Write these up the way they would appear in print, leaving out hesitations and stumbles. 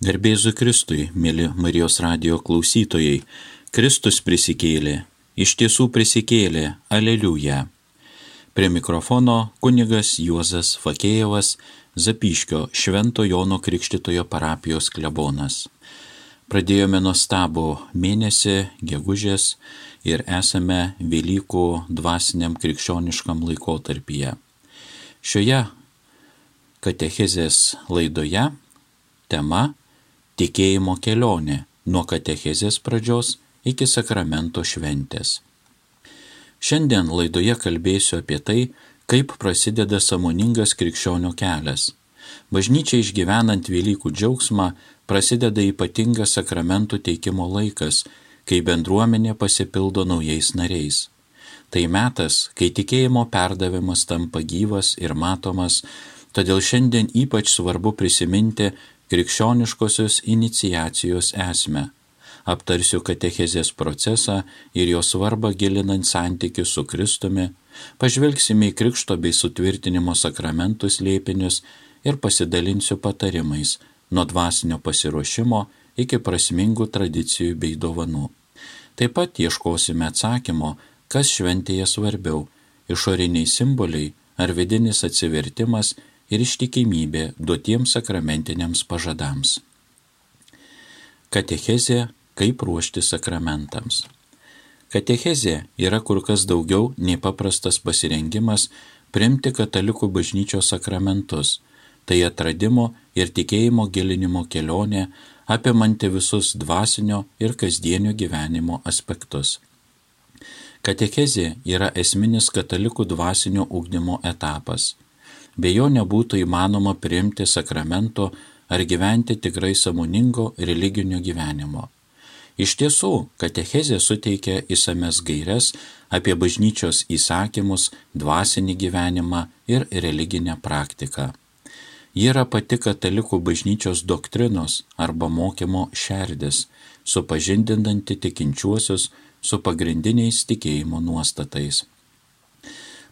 Garbė Jėzui Kristui, mėly Marijos radijo klausytojai, Kristus prisikėlė, iš tiesų prisikėlė, aleliuja. Prie mikrofono kunigas Juozas Fakėjevas, Zapyškio Švento Jono Krikštytojo parapijos klebonas. Pradėjome nuostabų mėnesį, gegužės, ir esame Velykų dvasiniam krikščioniškam laikotarpyje. Šioje katechezės laidoje tema tikėjimo kelionė nuo katechezės pradžios iki sakramento šventės. Šiandien laidoje kalbėsiu apie tai, kaip prasideda sąmoningas krikščionio kelias. Bažnyčiai išgyvenant Velykų džiaugsmą prasideda ypatingas sakramentų teikimo laikas, kai bendruomenė pasipildo naujais nariais. Tai metas, kai tikėjimo perdavimas tampa gyvas ir matomas, todėl šiandien ypač svarbu prisiminti krikščioniškosios iniciacijos esmę. Aptarsiu katechezės procesą ir jo svarbą gilinant santykius su Kristumi, pažvelgsime į krikšto bei sutvirtinimo sakramentų slėpinius ir pasidalinsiu patarimais nuo dvasinio pasiruošimo iki prasmingų tradicijų bei dovanų. Taip pat ieškosime atsakymo, kas šventėje svarbiau – išoriniai simboliai ar vidinis atsivertimas ir ištikimybė duotiems sakramentiniams pažadams. Katechezė – kaip ruošti sakramentams. Katechezė yra kur kas daugiau nei paprastas pasirengimas priimti katalikų bažnyčios sakramentus. Tai atradimo ir tikėjimo gilinimo kelionė, apimanti visus dvasinio ir kasdienio gyvenimo aspektus. Katechezė yra esminis katalikų dvasinio ugdymo etapas. Be jo nebūtų įmanoma priimti sakramento ar gyventi tikrai sąmoningo religinio gyvenimo. Iš tiesų, katechezė suteikia išsames gaires apie bažnyčios įsakymus, dvasinį gyvenimą ir religinę praktiką. Ji yra pati katalikų bažnyčios doktrinos arba mokymo šerdis, supažindinanti tikinčiuosius su pagrindiniais tikėjimo nuostatais.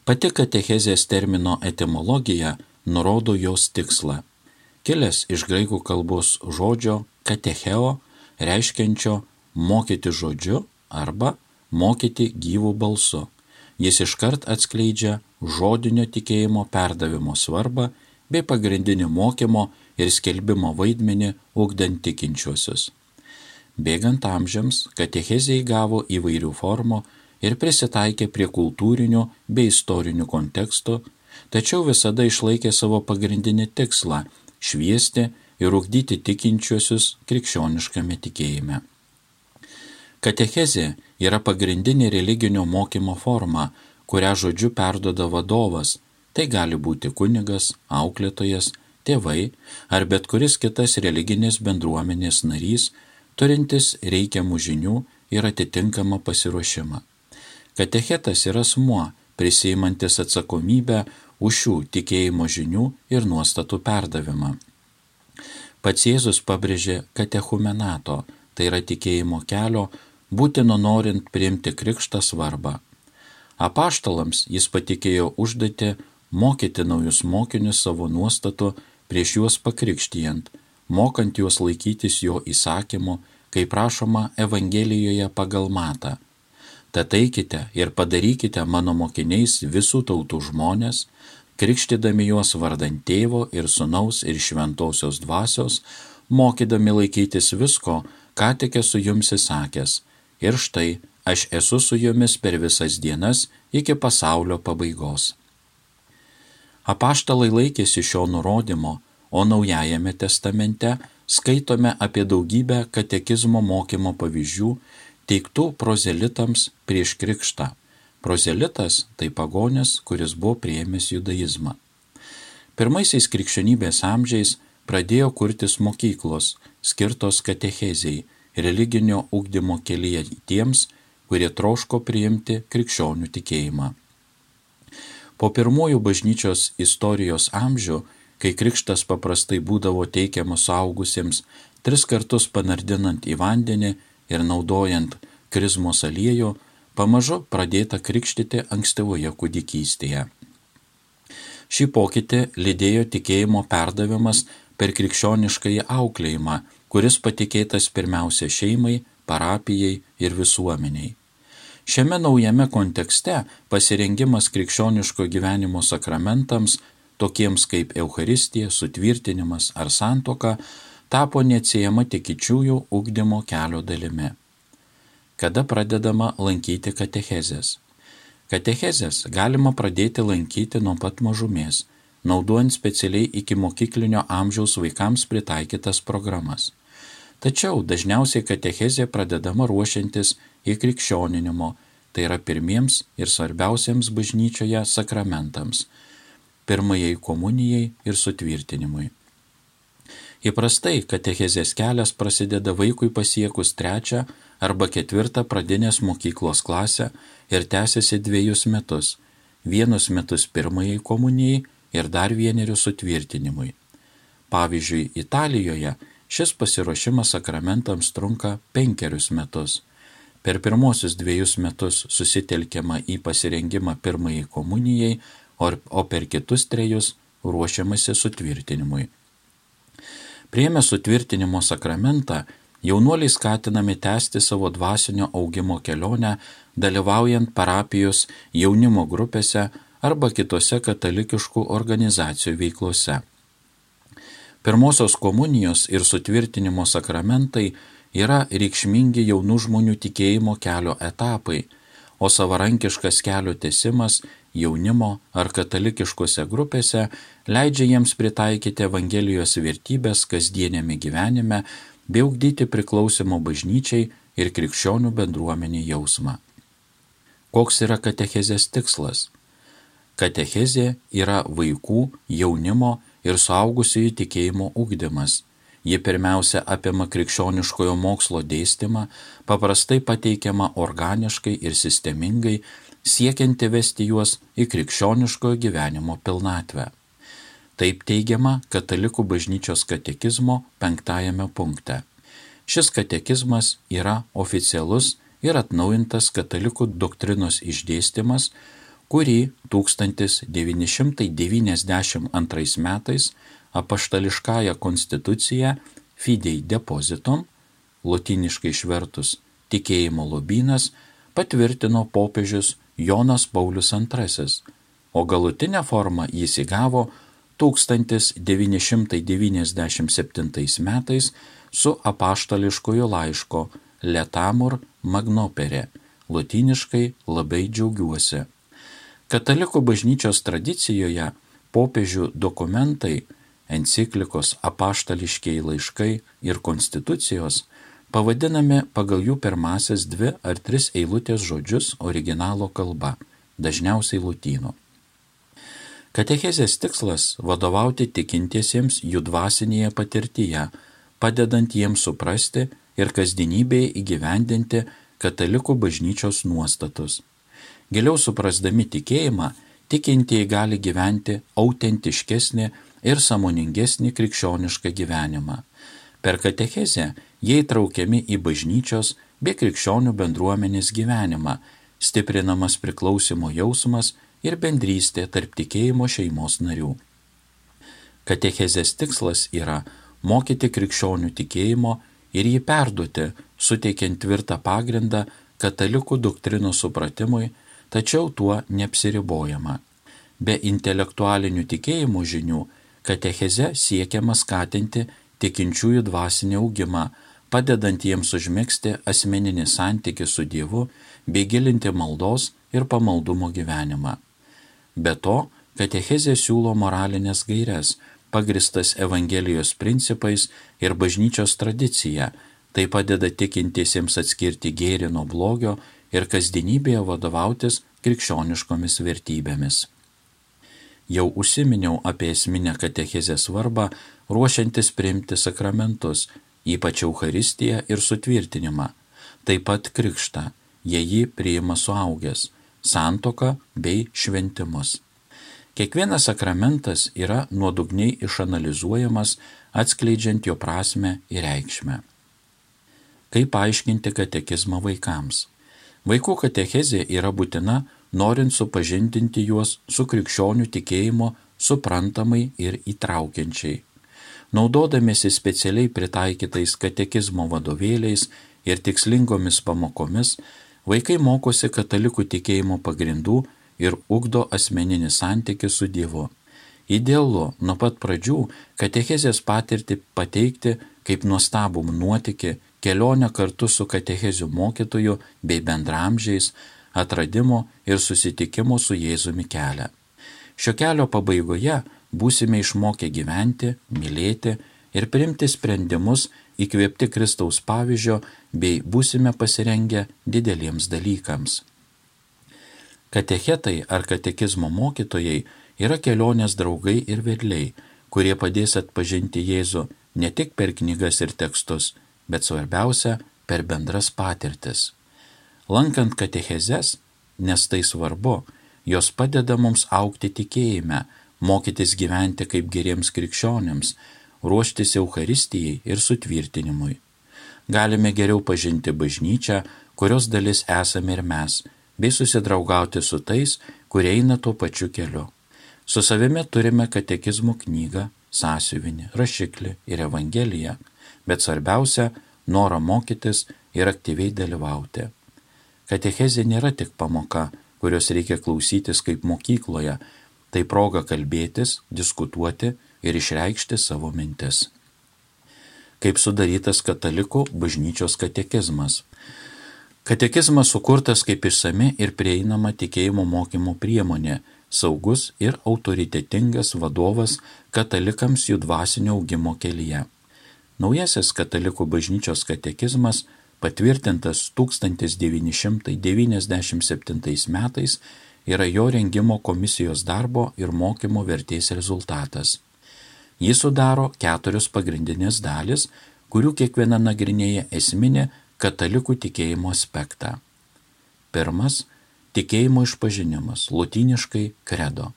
Pati katechezės termino etimologija nurodo jos tikslą. Kilęs iš graikų kalbos žodžio katecheo, reiškiančio mokyti žodžiu arba mokyti gyvų balsu. Jis iškart atskleidžia žodinio tikėjimo perdavimo svarbą bei pagrindinį mokymo ir skelbimo vaidmenį ugdant tikinčiuosius. Bėgant amžiams, katechezė įgavo įvairių formų ir prisitaikė prie kultūrinių bei istorinių kontekstų, tačiau visada išlaikė savo pagrindinį tikslą – šviesti ir ugdyti tikinčiuosius krikščioniškame tikėjime. Katechezė yra pagrindinė religinio mokymo forma, kurią žodžiu perduoda vadovas. Tai gali būti kunigas, auklėtojas, tėvai ar bet kuris kitas religinės bendruomenės narys, turintis reikiamų žinių ir atitinkamą pasiruošimą. Katechetas yra asmuo, prisiimantis atsakomybę už šių tikėjimo žinių ir nuostatų perdavimą. Pats Jėzus pabrėžė katechumenato, tai yra tikėjimo kelio, būtino norint priimti krikštą svarbą. Apaštalams jis patikėjo užduotį mokyti naujus mokinius savo nuostatų prieš juos pakrikštijant, mokant juos laikytis jo įsakymų, kaip prašoma Evangelijoje pagal Matą. Tad eikite ir padarykite mano mokiniais visų tautų žmonės, krikštydami juos vardant Tėvo ir Sūnaus ir Šventosios Dvasios, mokydami laikytis visko, ką tik esu jums įsakęs. Ir štai, aš esu su jumis per visas dienas iki pasaulio pabaigos. Apaštalai laikėsi šio nurodymo, o Naujajame testamente skaitome apie daugybę katekizmo mokymo pavyzdžių teiktų prozelitams prieš krikštą. Prozelitas tai pagonis, kuris buvo priėmęs judaizmą. Pirmaisiais krikščionybės amžiais pradėjo kurtis mokyklos, skirtos katechezei, religinio ugdymo kelyje tiems, kurie troško priimti krikščionių tikėjimą. Po pirmųjų bažnyčios istorijos amžių, kai krikštas paprastai būdavo teikiamas suaugusiems 3 kartus panardinant į vandenį ir naudojant krizmos aliejų, pamažu pradėta krikštyti ankstyvoje kūdikystėje. Šį pokytį lydėjo tikėjimo perdavimas per krikščioniškąjį auklėjimą, kuris patikėtas pirmiausia šeimai, parapijai ir visuomeniai. Šiame naujame kontekste pasirengimas krikščioniško gyvenimo sakramentams, tokiems kaip Eucharistija, sutvirtinimas ar santuoka, tapo neatsiejama tikinčiųjų ugdymo kelio dalimi. Kada pradedama lankyti katechezės? Katechezės galima pradėti lankyti nuo pat mažumės, naudojant specialiai ikimokyklinio amžiaus vaikams pritaikytas programas. Tačiau dažniausiai katechezė pradedama ruošiantis įkrikščioninimo, tai yra pirmiems ir svarbiausiems bažnyčioje sakramentams – pirmajai komunijai ir sutvirtinimui. Įprastai katechezės kelias prasideda vaikui pasiekus 3 arba 4 pradinės mokyklos klasę ir tęsiasi 2 metus, 1 metus pirmajai komunijai ir dar 1 sutvirtinimui. Pavyzdžiui, Italijoje šis pasiruošimas sakramentams trunka 5 metus. Per pirmosius 2 metus susitelkiama į pasirengimą pirmajai komunijai, o per kitus 3 ruošiamasi sutvirtinimui. Priėmę sutvirtinimo sakramentą, jaunuoliai skatinami tęsti savo dvasinio augimo kelionę, dalyvaujant parapijos jaunimo grupėse arba kitose katalikiškų organizacijų veiklose. Pirmosios komunijos ir sutvirtinimo sakramentai yra reikšmingi jaunų žmonių tikėjimo kelio etapai, o savarankiškas kelio tęsimas jaunimo ar katalikiškose grupėse leidžia jiems pritaikyti Evangelijos vertybės kasdienėme gyvenime bei ugdyti priklausimo bažnyčiai ir krikščionių bendruomeniai jausmą. Koks yra katechezės tikslas? Katechezė yra vaikų, jaunimo ir suaugusiųjų tikėjimo ugdymas. Ji pirmiausia apima krikščioniškojo mokslo dėstymą, paprastai pateikiama organiškai ir sistemingai, siekianti vesti juos į krikščioniškojo gyvenimo pilnatvę. Taip teigiama Katalikų bažnyčios katekizmo 5 punkte. Šis katekizmas yra oficialus ir atnaujintas katalikų doktrinos išdėstymas, kurį 1992 metais apaštališkąja konstitucija Fidei Depositum, lotyniškai išvertus tikėjimo lobynas, patvirtino popiežius Jonas Paulius II, o galutinę formą jis įgavo 1997 metais su apaštališkojo laiško Letamur Magnopere, lotyniškai labai džiaugiuosi. Katalikų bažnyčios tradicijoje popiežių dokumentai, enciklikos, apaštališkieji laiškai ir konstitucijos pavadinami pagal jų pirmasias 2 ar 3 eilutės žodžius originalo kalba, dažniausiai lotynų. Katechezės tikslas – vadovauti tikintiesiems jų dvasinėje patirtyje, padedant jiems suprasti ir kasdienybėje įgyvendinti katalikų bažnyčios nuostatus. Giliau suprasdami tikėjimą, tikintieji gali gyventi autentiškesnį ir sąmoningesnį krikščionišką gyvenimą. Per katechezę jie įtraukiami į bažnyčios bei krikščionių bendruomenės gyvenimą, stiprinamas priklausimo jausmas ir bendrystė tarp tikėjimo šeimos narių. Katechezės tikslas yra mokyti krikščionių tikėjimo ir jį perduoti, suteikiant tvirtą pagrindą katalikų doktrinos supratimui, tačiau tuo neapsiribojama. Be intelektualinių tikėjimo žinių, katecheze siekiama skatinti tikinčiųjų dvasinį augimą, padedant jiems užmegzti asmeninį santykį su Dievu bei gilinti maldos ir pamaldumo gyvenimą. Be to, katechezė siūlo moralinės gaires, pagristas Evangelijos principais ir bažnyčios tradicija, tai padeda tikintiesiems atskirti gėrį nuo blogio ir kasdienybėje vadovautis krikščioniškomis vertybėmis. Jau užsiminiau apie esminę katechezės svarbą, ruošiantis priimti sakramentus, ypač Eucharistiją ir sutvirtinimą, taip pat krikštą, jei jį priima suaugęs, santuoką bei šventimus. Kiekvienas sakramentas yra nuodugniai išanalizuojamas, atskleidžiant jo prasmę ir reikšmę. Kaip paaiškinti katekizmą vaikams? Vaikų katechezė yra būtina, norint supažindinti juos su krikščionių tikėjimo suprantamai ir įtraukiančiai. Naudodamiesi specialiai pritaikytais katekizmo vadovėliais ir tikslingomis pamokomis, vaikai mokosi katalikų tikėjimo pagrindų ir ugdo asmeninį santykį su Dievu. Idealu nuo pat pradžių katechezės patirtį pateikti kaip nuostabų nuotykį, kelionę kartu su katechezių mokytoju bei bendramžiais, atradimo ir susitikimo su Jėzumi kelią. Šio kelio pabaigoje būsime išmokę gyventi, mylėti ir priimti sprendimus įkvėpti Kristaus pavyzdžio bei būsime pasirengę dideliems dalykams. Katechetai ar katekizmo mokytojai yra kelionės draugai ir vedliai, kurie padės atpažinti Jėzų ne tik per knygas ir tekstus, bet svarbiausia per bendras patirtis. Lankant katechezes, nes tai svarbu, jos padeda mums augti tikėjime, mokytis gyventi kaip geriems krikščionims, ruoštis Eucharistijai ir sutvirtinimui. Galime geriau pažinti bažnyčią, kurios dalis esame ir mes, bei susidraugauti su tais, kurie eina tuo pačiu keliu. Su savimi turime katekizmo knygą, sąsiuvinį, rašiklį ir evangeliją, bet svarbiausia – norą mokytis ir aktyviai dalyvauti. Katechezė nėra tik pamoka, kurios reikia klausytis kaip mokykloje, tai proga kalbėtis, diskutuoti ir išreikšti savo mintis. Kaip sudarytas katalikų bažnyčios katekizmas. Katekizmas sukurtas kaip išsami ir prieinama tikėjimo mokymo priemonė, saugus ir autoritetingas vadovas katalikams jų dvasinio augimo kelyje. Naujasis katalikų bažnyčios katekizmas, patvirtintas 1997 metais, yra jo rengimo komisijos darbo ir mokymo vertės rezultatas. Jį sudaro 4 pagrindinės dalis, kurių kiekviena nagrinėja esminį katalikų tikėjimo aspektą. Pirmas – tikėjimo išpažinimas, lotyniškai credo.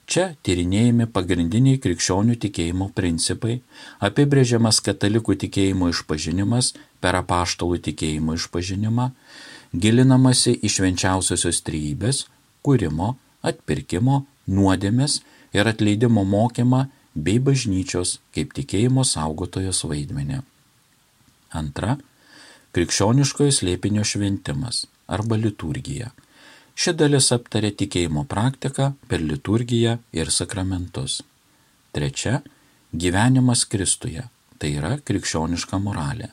Čia tyrinėjami pagrindiniai krikščionių tikėjimo principai, apibrėžiamas katalikų tikėjimo išpažinimas per apaštalų tikėjimo išpažinimą, gilinamasi į švenčiausiosios trejybės, kūrimo, atpirkimo, nuodėmės ir atleidimo mokymą bei bažnyčios kaip tikėjimo saugotojos vaidmenį. Antra – krikščioniškojo slėpinio šventimas arba liturgija. Ši dalis aptarė tikėjimo praktiką per liturgiją ir sakramentus. Trečia – gyvenimas Kristuje, tai yra krikščioniška moralė.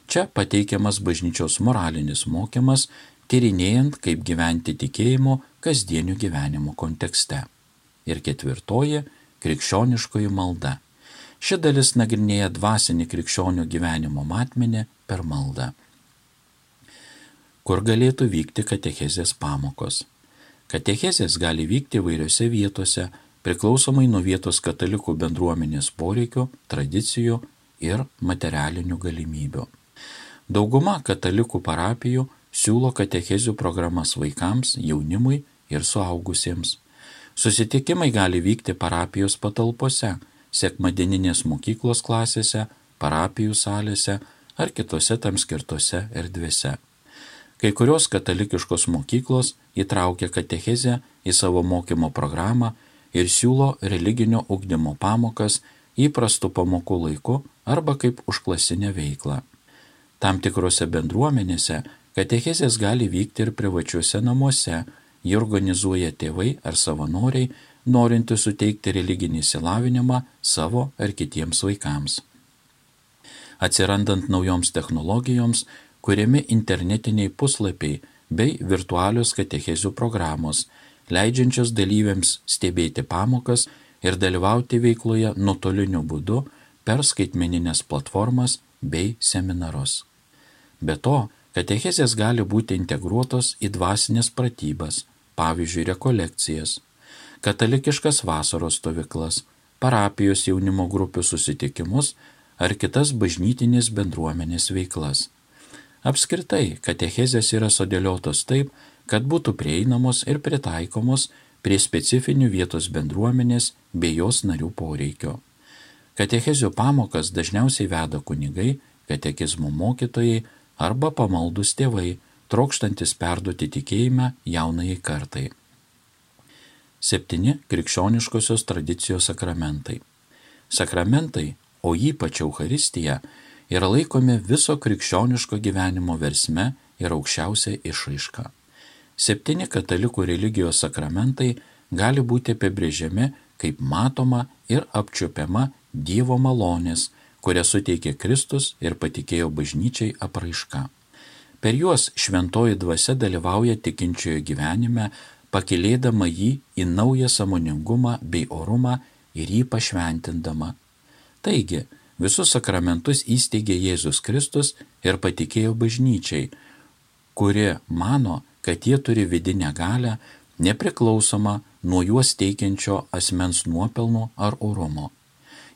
Čia pateikiamas bažnyčios moralinis mokymas, tyrinėjant, kaip gyventi tikėjimo kasdienio gyvenimo kontekste. Ir ketvirtoji – krikščioniškoji malda. Ši dalis nagrinėja dvasinį krikščionių gyvenimo matmenį per maldą. Kur galėtų vykti katechezės pamokos? Katechezės gali vykti įvairiose vietose, priklausomai nuo vietos katalikų bendruomenės poreikių, tradicijų ir materialinių galimybių. Dauguma katalikų parapijų siūlo katechezių programas vaikams, jaunimui ir suaugusiems. Susitikimai gali vykti parapijos patalpose, sekmadieninės mokyklos klasėse, parapijų salėse ar kitose tam skirtose erdvėse. Kai kurios katalikiškos mokyklos įtraukia katechezę į savo mokymo programą ir siūlo religinio ugdymo pamokas įprastų pamokų laiku arba kaip užklasinę veiklą. Tam tikrose bendruomenėse katechezės gali vykti ir privačiuose namuose, jį organizuoja tėvai ar savanoriai, norinti suteikti religinį išsilavinimą savo ar kitiems vaikams. Atsirandant naujoms technologijoms, kuriami internetiniai puslapiai bei virtualios katechezių programos, leidžiančios dalyviams stebėti pamokas ir dalyvauti veikloje nuotoliniu būdu per skaitmeninės platformas bei seminarus. Be to, katechezės gali būti integruotos į dvasinės pratybas, pavyzdžiui, rekolekcijas, katalikiškas vasaros stovyklas, parapijos jaunimo grupių susitikimus ar kitas bažnytinės bendruomenės veiklas. Apskritai, katechezės yra sudėliotos taip, kad būtų prieinamos ir pritaikomos prie specifinių vietos bendruomenės bei jos narių poreikio. Katechezių pamokas dažniausiai veda kunigai, katekizmo mokytojai arba pamaldūs tėvai, trokštantis perduoti tikėjimą jaunajai kartai. 7 krikščioniškosios tradicijos sakramentai. Sakramentai, o ypač Eucharistija, yra laikomi viso krikščioniško gyvenimo versme ir aukščiausia išraiška. 7 katalikų religijos sakramentai gali būti apibrėžiami kaip matoma ir apčiuopiama Dievo malonės, kurią suteikė Kristus ir patikėjo bažnyčiai apraiška. Per juos šventoji dvasia dalyvauja tikinčiojo gyvenime, pakylėdama jį į naują sąmoningumą bei orumą ir jį pašventindama. Taigi, visus sakramentus įsteigė Jėzus Kristus ir patikėjo bažnyčiai, kuri mano, kad jie turi vidinę galią, nepriklausomą nuo juos teikiančio asmens nuopelnų ar orumo.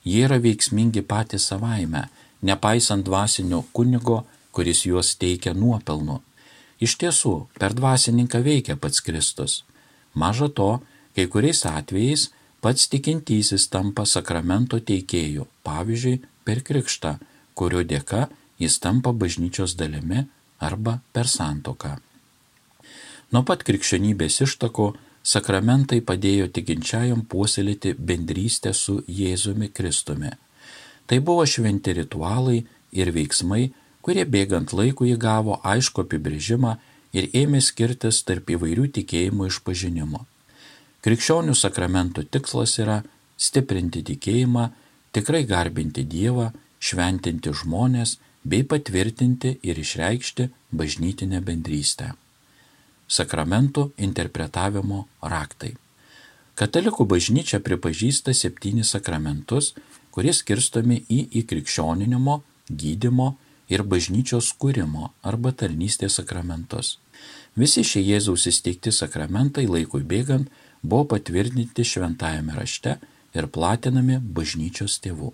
Jie yra veiksmingi patys savaime, nepaisant dvasinio kunigo, kuris juos teikia nuopelnu. Iš tiesų, per dvasininką veikia pats Kristus. Maža to, kai kuriais atvejais pats tikintysis tampa sakramento teikėju, pavyzdžiui, per krikštą, kurio dėka jis tampa bažnyčios dalimi arba per santuoką. Nuo pat krikščionybės ištako sakramentai padėjo tikinčiajam puoselėti bendrystę su Jėzumi Kristumi. Tai buvo šventi ritualai ir veiksmai, kurie bėgant laikui įgavo aišku apibrėžimą ir ėmė skirtis tarp įvairių tikėjimų išpažinimo. Krikščionių sakramentų tikslas yra stiprinti tikėjimą, tikrai garbinti Dievą, šventinti žmones bei patvirtinti ir išreikšti bažnytinę bendrystę. Sakramentų interpretavimo raktai. Katalikų bažnyčia pripažįsta 7 sakramentus, kurie skirstomi į įkrikščioninimo, gydymo ir bažnyčios kūrimo arba tarnystės sakramentus. Visi šie Jėzaus įsteigti sakramentai laikui bėgant buvo patvirtinti šventajame rašte ir platinami bažnyčios tėvų.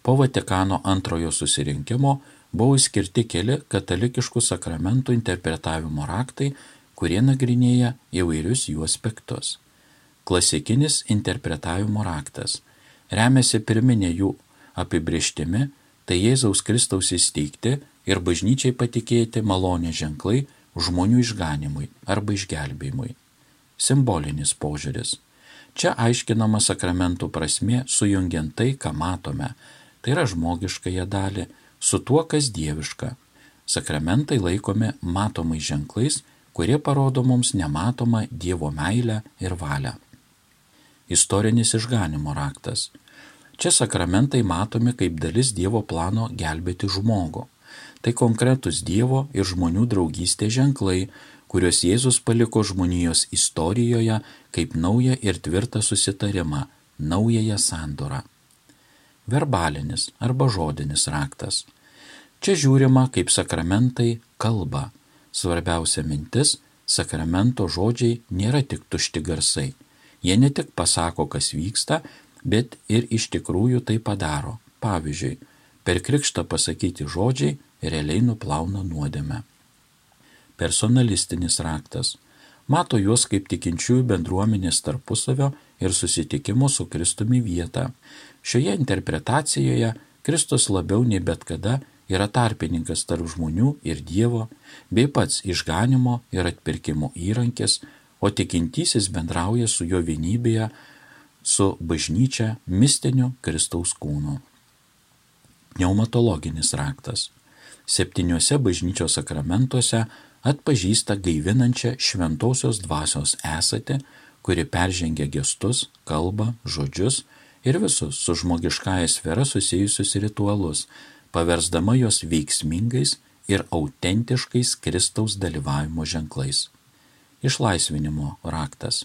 Po Vatikano antrojo susirinkimo buvo išskirti keli katalikiškų sakramentų interpretavimo raktai, kurie nagrinėja įvairius jų aspektus. Klasikinis interpretavimo raktas remiasi pirminė jų apibrėžtimi, tai Jėzaus Kristaus įsteigti ir bažnyčiai patikėti malonės ženklai žmonių išganimui arba išgelbėjimui. Simbolinis požiūris. Čia aiškinama sakramentų prasmė sujungiant tai, ką matome, tai yra žmogiškąją dalį, su tuo, kas dieviška. Sakramentai laikomi matomais ženklais, kurie parodo mums nematomą Dievo meilę ir valią. Istorinis išganimo raktas. Čia sakramentai matomi kaip dalis Dievo plano gelbėti žmogų. Tai konkretus Dievo ir žmonių draugystės ženklai, kuriuos Jėzus paliko žmonijos istorijoje kaip naują ir tvirtą susitarimą, naująją sandorą. Verbalinis arba žodinis raktas. Čia žiūrima, kaip sakramentai kalba. Svarbiausia mintis – sakramento žodžiai nėra tik tušti garsai. Jie ne tik pasako, kas vyksta, bet ir iš tikrųjų tai padaro. Pavyzdžiui, per krikštą pasakyti žodžiai realiai nuplauna nuodėmę. Personalistinis raktas. Mato juos kaip tikinčiųjų bendruomenės tarpusavio ir susitikimo su Kristumi vietą. Šioje interpretacijoje Kristus labiau nei bet kada yra tarpininkas tarp žmonių ir Dievo, bei pats išganimo ir atpirkimo įrankis, o tikintysis bendrauja su jo vienybėje, su bažnyčia mistiniu Kristaus kūnu. Pneumatologinis raktas. 7 bažnyčios sakramentuose atpažįsta gaivinančią šventosios dvasios esatį, kuri peržengia gestus, kalbą, žodžius ir visus su žmogiškąja sfera susijusius ritualus, paversdama jos veiksmingais ir autentiškais Kristaus dalyvavimo ženklais. Išlaisvinimo raktas.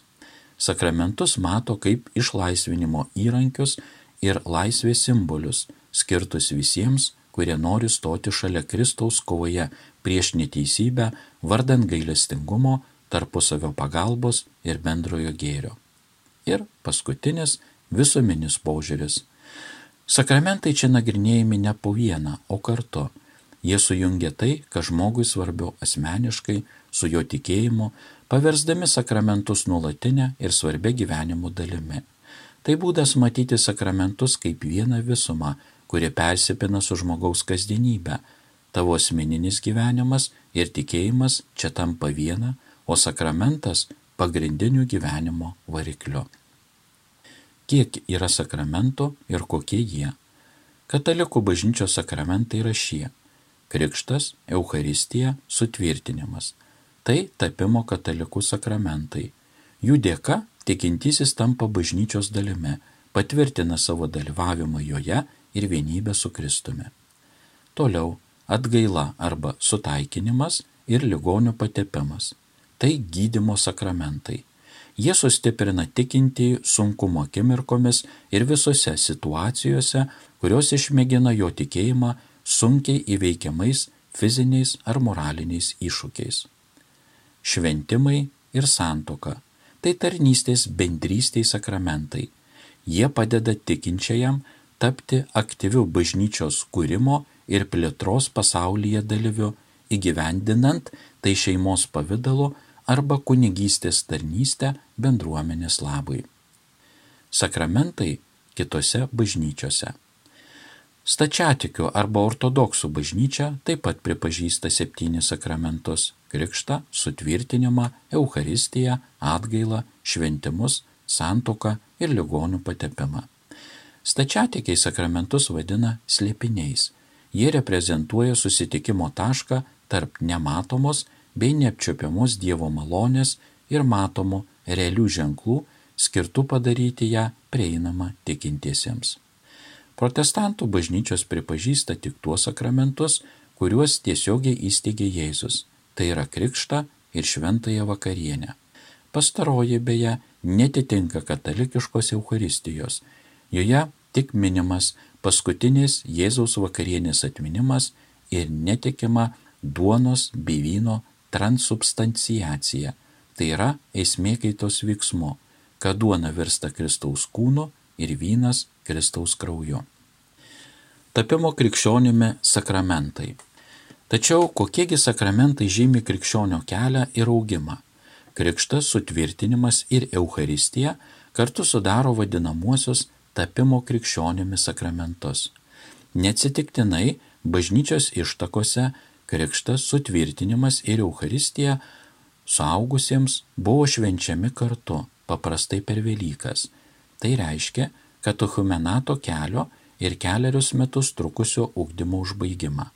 Sakramentus mato kaip išlaisvinimo įrankius ir laisvės simbolius, skirtus visiems, kurie nori stoti šalia Kristaus kovoje prieš neteisybę, vardan gailestingumo, tarpusavio pagalbos ir bendrojo gėrio. Ir paskutinis visuminis požiūris. Sakramentai čia nagrinėjami ne po vieną, o kartu. Jie sujungia tai, kas žmogui svarbiau asmeniškai, su jo tikėjimu, paversdami sakramentus nuolatinę ir svarbia gyvenimo dalimi. Tai būdas matyti sakramentus kaip vieną visumą, kuri persipina su žmogaus kasdienybė. Tavo asmeninis gyvenimas ir tikėjimas čia tampa viena, o sakramentas pagrindiniu gyvenimo varikliu. Kiek yra sakramentų ir kokie jie? Katalikų bažnyčios sakramentai yra šie: krikštas, Eucharistija, sutvirtinimas. Tai tapimo katalikų sakramentai. Jų dėka tikintysis tampa bažnyčios dalimi, patvirtina savo dalyvavimą joje ir vienybę su Kristumi. Toliau atgaila arba sutaikinimas ir ligonių patepimas. Tai gydymo sakramentai. Jie sustiprina tikintįjį sunkumo akimirkomis ir visose situacijose, kurios išmėgina jo tikėjimą sunkiai įveikiamais fiziniais ar moraliniais iššūkiais. Šventimai ir santuoka – tai tarnystės bendrystei sakramentai. Jie padeda tikinčiajam tapti aktyviu bažnyčios kūrimo ir plėtros pasaulyje dalyviu, įgyvendinant tai šeimos pavidalu arba kunigystės tarnystę bendruomenės labui. Sakramentai kitose bažnyčiose. Stačiatikių arba ortodoksų bažnyčia taip pat pripažįsta 7 sakramentus – krikštą, sutvirtinimą, Eucharistiją, atgailą, šventimus, santuoką ir ligonių patepimą. Stačiatikiai sakramentus vadina slėpiniais. Jie reprezentuoja susitikimo tašką tarp nematomos bei neapčiuopiamos Dievo malonės ir matomų realių ženklų, skirtų padaryti ją prieinamą tikintiesiems. Protestantų bažnyčios pripažįsta tik tuos sakramentus, kuriuos tiesiogiai įsteigė Jėzus, tai yra krikštą ir šventąją vakarienę. Pastaroji beje netitinka katalikiškos Eucharistijos, joje tik minimas paskutinis Jėzaus vakarienės atminimas ir netikima duonos bei vyno transubstanciacija, tai yra esmėkaitos veiksmu, kad duona virsta Kristaus kūnu ir vynas Kristaus krauju. Tapimo krikščionimi sakramentai. Tačiau kokiegi sakramentai žymi krikščionio kelią ir augimą? Krikštas, sutvirtinimas ir Eucharistija kartu sudaro vadinamuosius tapimo krikščionimi sakramentus. Neatsitiktinai bažnyčios ištakose krikštas, sutvirtinimas ir Eucharistija suaugusiems buvo švenčiami kartu, paprastai per Velykas. Tai reiškia katechumenato kelio ir 4 metus trukusio ugdymo užbaigimą.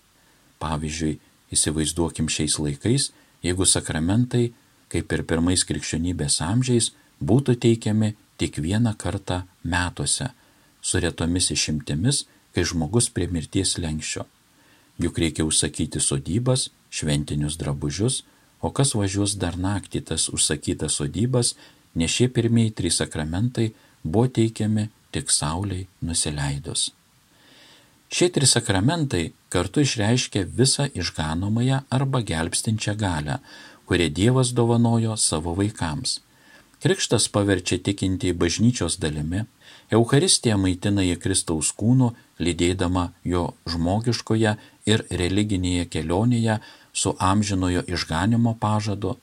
Pavyzdžiui, įsivaizduokim šiais laikais, jeigu sakramentai, kaip ir pirmais krikščionybės amžiais, būtų teikiami tik 1 kartą metuose, su retomis išimtimis, kai žmogus prie mirties slenksčio. Juk reikia užsakyti sodybas, šventinius drabužius, o kas važiuos dar naktį tas užsakytas sodybas, nes šie pirmieji 3 sakramentai buvo teikiami tik saulei nusileidus. Šie 3 sakramentai kartu išreiškia visą išganomąją arba gelbstinčią galią, kurią Dievas dovanojo savo vaikams. Krikštas paverčia tikintįjį bažnyčios dalimi, Eucharistija maitina jį Kristaus kūnu, lydėdama jo žmogiškoje ir religinėje kelionėje su amžinojo išganimo pažadu.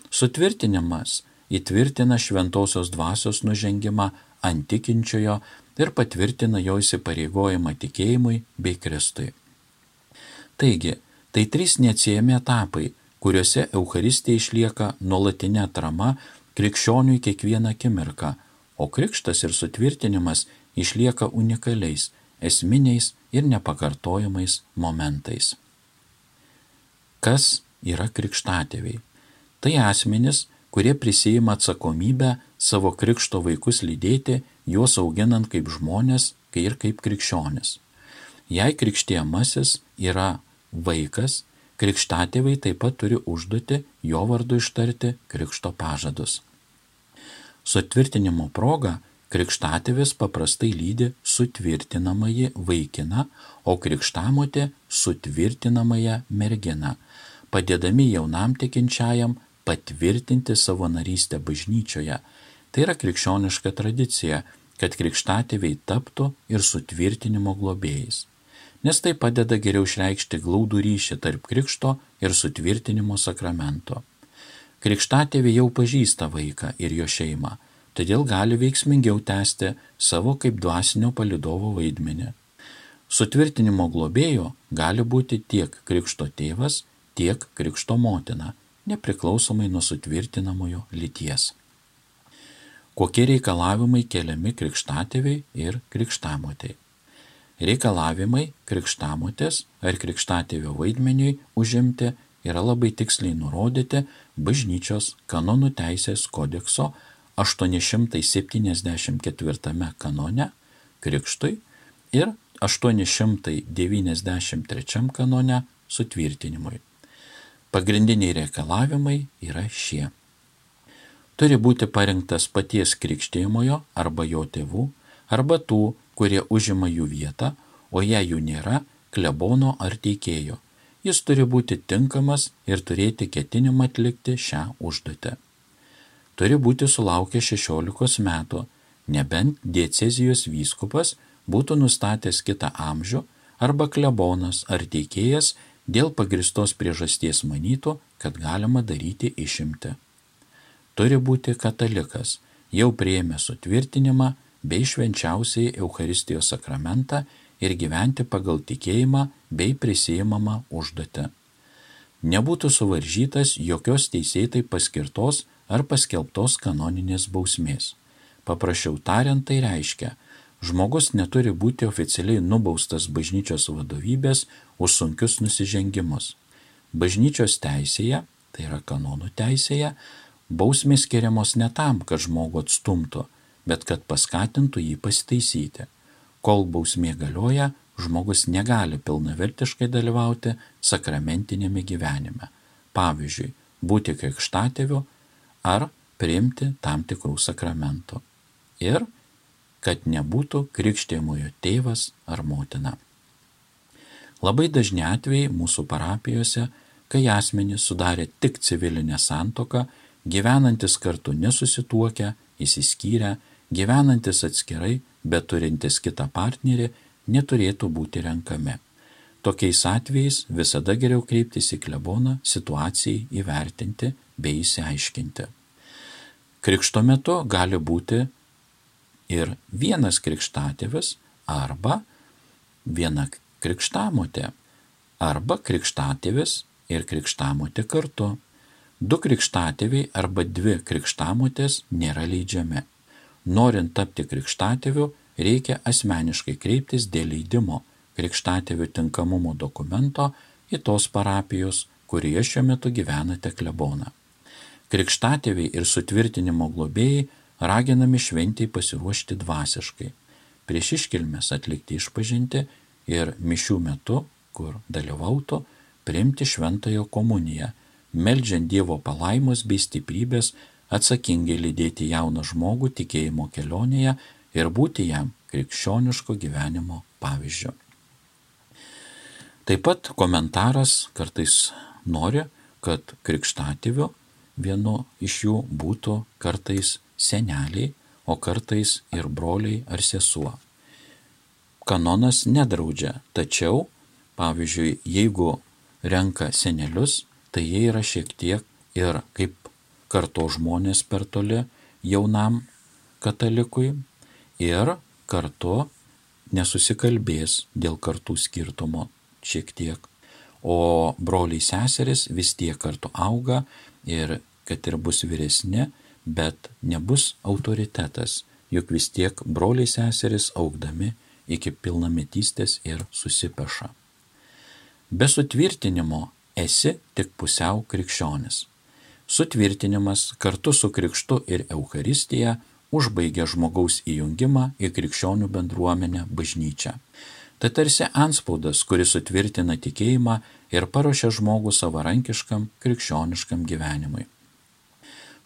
Sutvirtinimas įtvirtina šventosios dvasios nužengimą ant tikinčiojo ir patvirtina jo įsipareigojimą tikėjimui bei Kristui. Taigi, tai 3 neatsiejami etapai, kuriuose Eucharistija išlieka nuolatinė atrama krikščioniui kiekvieną akimirką, o krikštas ir sutvirtinimas išlieka unikaliais, esminiais ir nepakartojamais momentais. Kas yra krikštatėviai? Tai asmenys, kurie prisiima atsakomybę savo krikšto vaikus lydėti, juos auginant kaip žmonės ir kaip krikščionis. Jei krikštijamasis yra vaikas, krikštatėviai taip pat turi užduoti jo vardu ištarti krikšto pažadus. Sutvirtinimo proga krikštatėvis paprastai lydi sutvirtinamąjį vaikiną, o krikštamotė sutvirtinamąją merginą, padėdami jaunam tikinčiajam patvirtinti savo narystę bažnyčioje. Tai yra krikščioniška tradicija, kad krikštatėviai taptų ir sutvirtinimo globėjais, nes tai padeda geriau išreikšti glaudų ryšį tarp krikšto ir sutvirtinimo sakramento. Krikštatėviai jau pažįsta vaiką ir jo šeimą, todėl gali veiksmingiau tęsti savo kaip dvasinio palydovo vaidmenį. Sutvirtinimo globėjo gali būti tiek krikšto tėvas, tiek krikšto motina, nepriklausomai nuo sutvirtinamojo lyties. Kokie reikalavimai keliami krikštatėviai ir krikštamotei? Reikalavimai krikštamotės ar krikštatėvio vaidmeniui užimti yra labai tiksliai nurodyti Bažnyčios kanonų teisės kodekso 874 kanone krikštui ir 893 kanone sutvirtinimui. Pagrindiniai reikalavimai yra šie. Turi būti parinktas paties krikštijamojo arba jo tėvų, arba tų, kurie užima jų vietą, o jei jų nėra, klebono ar teikėjo. Jis turi būti tinkamas ir turėti ketinimą atlikti šią užduotį. Turi būti sulaukę 16 metų, nebent diecezijos vyskupas būtų nustatęs kitą amžių arba klebonas ar teikėjas dėl pagristos priežasties manytų, kad galima daryti išimtį. Turi būti katalikas, jau priėmė sutvirtinimą bei švenčiausiai Eucharistijos sakramentą ir gyventi pagal tikėjimą bei prisiimamą užduotį. Nebūtų suvaržytas jokios teisėtai paskirtos ar paskelbtos kanoninės bausmės. Paprasčiau tariant, tai reiškia, žmogus neturi būti oficialiai nubaustas bažnyčios vadovybės už sunkius nusižengimus. Bažnyčios teisėje, tai yra kanonų teisėje, bausmės skiriamos ne tam, kad žmogų atstumtų, bet kad paskatintų jį pasitaisyti. Kol bausmė galioja, žmogus negali pilnavertiškai dalyvauti sakramentinėme gyvenime. Pavyzdžiui, būti krikštatėviu ar priimti tam tikrų sakramentų. Ir kad nebūtų krikštijamojo tėvas ar motina. Labai dažni atvejai mūsų parapijose, kai asmenys sudarė tik civilinę santuoką, gyvenantis kartu nesusituokę, išsiskyrę, gyvenantis atskirai, bet turintis kitą partnerį, neturėtų būti renkami. Tokiais atvejais visada geriau kreiptis į kleboną situacijai įvertinti bei išsiaiškinti. Krikšto metu gali būti ir vienas krikštatėvis arba viena krikštamotė, arba krikštatėvis ir krikštamotė kartu. 2 krikštatėviai arba 2 krikštamotės nėra leidžiami. Norint tapti krikštatėviu, reikia asmeniškai kreiptis dėl leidimo krikštatėvių tinkamumo dokumento į tos parapijos, kurioje šiuo metu gyvenate kleboną. Krikštatėviai ir sutvirtinimo globėjai raginami šventei pasiruošti dvasiškai, prieš iškilmes atlikti išpažintį ir mišių metu, kur dalyvautų, priimti šventąją komuniją, meldžiant Dievo palaimos bei stiprybės atsakingai lydėti jauną žmogų tikėjimo kelionėje ir būti jam krikščioniško gyvenimo pavyzdžiu. Taip pat komentaras kartais nori, kad krikštatėviu vienu iš jų būtų kartais seneliai, o kartais ir broliai ar sesuo. Kanonas nedraudžia, tačiau, pavyzdžiui, jeigu renka senelius, tai jie yra šiek tiek ir kaip karto žmonės per toli jaunam katalikui ir kartu nesusikalbės dėl kartų skirtumo šiek tiek. O broliai seseris vis tiek kartu auga ir kad ir bus vyresni, bet nebus autoritetas, juk vis tiek broliai seseris augdami iki pilnametystės ir susipeša. Be sutvirtinimo esi tik pusiau krikščionis. Sutvirtinimas kartu su krikštu ir Eucharistija užbaigia žmogaus įjungimą į krikščionių bendruomenę bažnyčią. Tai tarsi antspaudas, kuris sutvirtina tikėjimą ir paruošia žmogų savarankiškam krikščioniškam gyvenimui.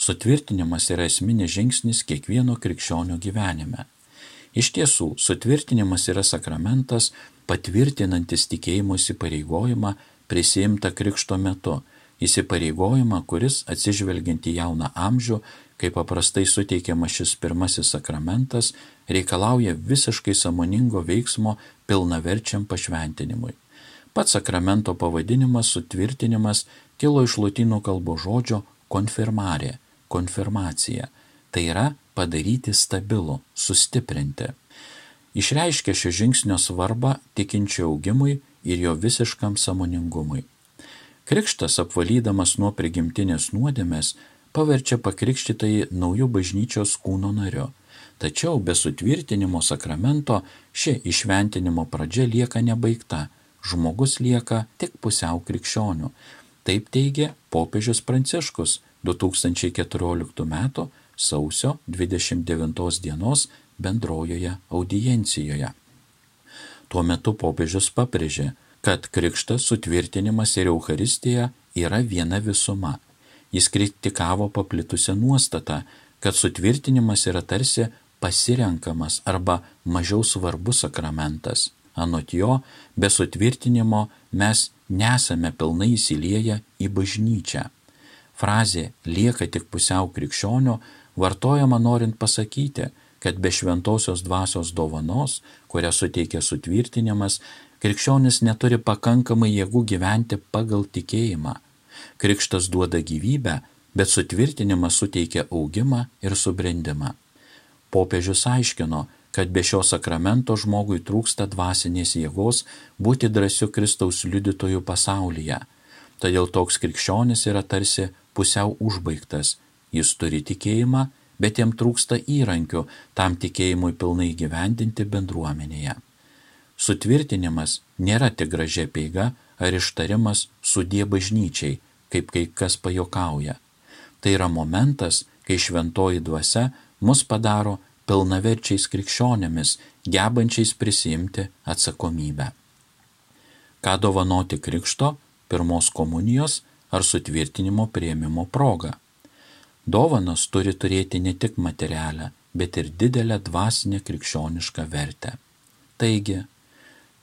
Sutvirtinimas yra esminis žingsnis kiekvieno krikščionio gyvenime. Iš tiesų, sutvirtinimas yra sakramentas, patvirtinantis tikėjimo įsipareigojimą prisiimtą krikšto metu, įsipareigojimą, kuris atsižvelgiant į jauną amžių, kai paprastai suteikiamas šis pirmasis sakramentas, reikalauja visiškai sąmoningo veiksmo pilnaverčiam pašventinimui. Pats sakramento pavadinimas sutvirtinimas kilo iš lotynų kalbos žodžio konfirmare, konfirmacija, tai yra padaryti stabilų, sustiprinti. Išreiškia šio žingsnio svarbą tikinčio augimui ir jo visiškam sąmoningumui. Krikštas, apvalydamas nuo prigimtinės nuodėmės, paverčia pakrikštytąjį naujų bažnyčios kūno nariu. Tačiau be sutvirtinimo sakramento ši įšventinimo pradžia lieka nebaigta, žmogus lieka tik pusiau krikščioniu. Taip teigia popiežius Pranciškus 2014 m. sausio 29 dienos bendrojoje audiencijoje. Tuo metu popiežius pabrėžė, kad krikštas, sutvirtinimas ir Eucharistija yra viena visuma. Jis kritikavo paplitusią nuostatą, kad sutvirtinimas yra tarsi pasirenkamas arba mažiau svarbus sakramentas. Anot jo, be sutvirtinimo mes nesame pilnai įsilieję į bažnyčią. Frazė lieka tik pusiau krikščionio vartojama norint pasakyti, kad be šventosios dvasios dovanos, kurią suteikia sutvirtinimas, krikščionis neturi pakankamai jėgų gyventi pagal tikėjimą. Krikštas duoda gyvybę, bet sutvirtinimas suteikia augimą ir subrendimą. Popiežius aiškino, kad be šio sakramento žmogui trūksta dvasinės jėgos būti drąsiu Kristaus liudytojų pasaulyje. Todėl toks krikščionis yra tarsi pusiau užbaigtas. Jis turi tikėjimą, bet jam trūksta įrankių tam tikėjimui pilnai gyvendinti bendruomenėje. Sutvirtinimas nėra tik gražia apeiga ar ištarimas sudie bažnyčiai, kaip kai kas pajokauja. Tai yra momentas, kai šventoji dvasia mus padaro pilnaverčiais krikščionėmis, gebančiais prisiimti atsakomybę. Ką dovanoti krikšto, pirmos komunijos ar sutvirtinimo priėmimo proga? Dovanos turi turėti ne tik materialę, bet ir didelę dvasinę krikščionišką vertę. Taigi,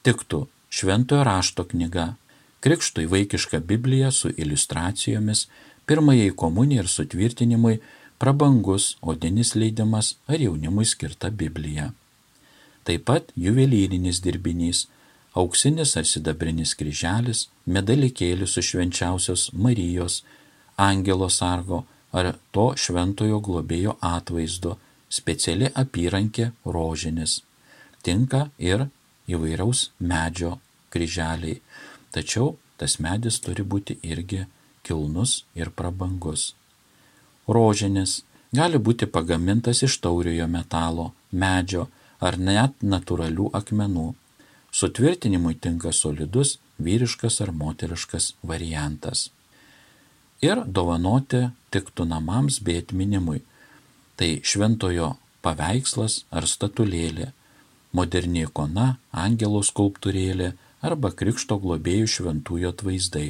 tiktų šventojo rašto knyga, krikštui vaikiška Biblija su iliustracijomis, pirmajai komunijai ir sutvirtinimui prabangus odinis leidimas ar jaunimui skirta Biblija. Taip pat juvelyrinis dirbinys, auksinis ar sidabrinis kryželis, medalikėlis su švenčiausios Marijos, angelo sargo ar to šventojo globėjo atvaizdu, speciali apyrankė rožinis. Tinka ir įvairaus medžio kryželiai, tačiau tas medis turi būti irgi kilnus ir prabangus. Rožinis gali būti pagamintas iš tauriojo metalo, medžio ar net natūralių akmenų. Sutvirtinimui tinka solidus, vyriškas ar moteriškas variantas. Ir dovanoti tiktų namams bei atminimui. Tai šventojo paveikslas ar statulėlė, moderni ikona, angelo skulptūrėlė arba krikšto globėjų šventųjų atvaizdai.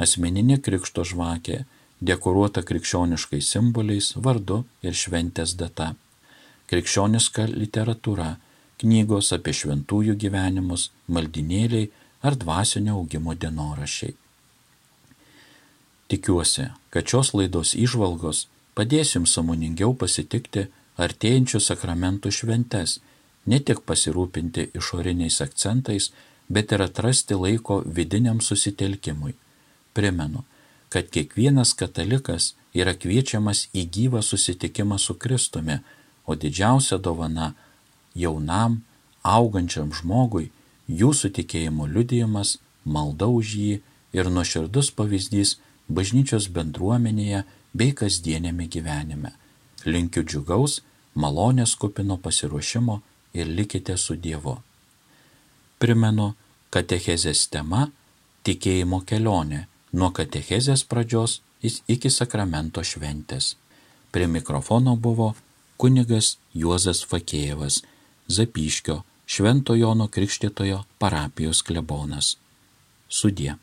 Asmeninė krikšto žvakė, dekoruota krikščioniškais simboliais, vardu ir šventės data. Krikščioniška literatūra, knygos apie šventųjų gyvenimus, maldinėliai ar dvasinio augimo dienoraščiai. Tikiuosi, kad šios laidos įžvalgos padės jums sąmoningiau pasitikti artėjančių sakramentų šventes, ne tik pasirūpinti išoriniais akcentais, bet ir atrasti laiko vidiniam susitelkimui. Primenu, kad kiekvienas katalikas yra kviečiamas į gyvą susitikimą su Kristumi, o didžiausia dovana jaunam, augančiam žmogui jūsų tikėjimo liudijimas, malda už jį ir nuoširdus pavyzdys bažnyčios bendruomenėje bei kasdienėme gyvenime. Linkiu džiugaus, malonės kupino pasiruošimo ir likite su Dievu. Primenu, katechezės tema – tikėjimo kelionė nuo katechezės pradžios iki sakramento šventės. Prie mikrofono buvo kunigas Juozas Fakėjevas, Zapyškio Švento Jono Krikštytojo parapijos klebonas. Sudie.